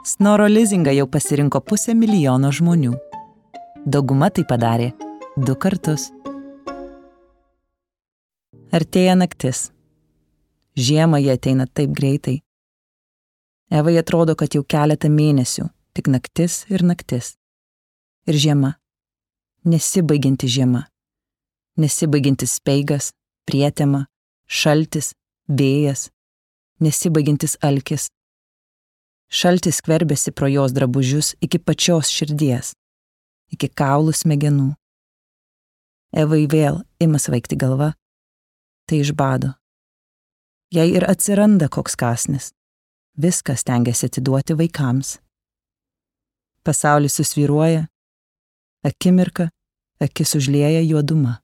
Snoro lizingą jau pasirinko 500 000 žmonių. Dauguma tai padarė 2 kartus. Artėja naktis. Žiemą jie ateina taip greitai. Evai atrodo, kad jau keletą mėnesių, tik naktis ir naktis. Ir žiema. Nesibaigianti žiema. Nesibaigiantis speigas, prietema, šaltis, vėjas. Nesibaigiantis alkis. Šaltis skverbėsi pro jos drabužius iki pačios širdies, iki kaulų smegenų. Evai vėl ima svaigti galva, tai iš bado. Jei ir atsiranda koks kąsnis, viskas stengiasi atiduoti vaikams. Pasaulis susvyruoja, akimirka, akis užlieja juoduma.